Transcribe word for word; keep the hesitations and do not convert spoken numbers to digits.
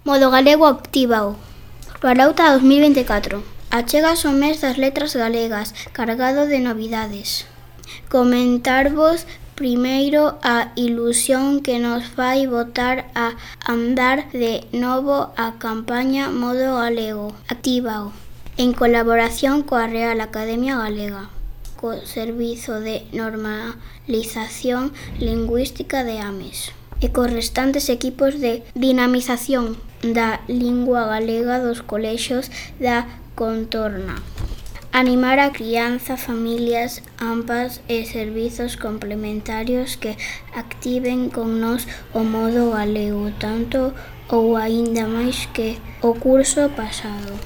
Modo Galego Actívao. Ralauta dos mil vinte e catro. Achegas o mes das letras galegas, cargado de novidades. Comentarvos primeiro a ilusión que nos vai botar a andar de novo a campaña Modo Galego Actívao, en colaboración coa Real Academia Galega, co Servizo de Normalización Lingüística de Ames e cos restantes equipos de dinamización da lingua galega dos colexios da contorna. Animar a crianza, familias, ampas e servizos complementarios que activen con nós o modo galego, tanto ou aínda máis que o curso pasado.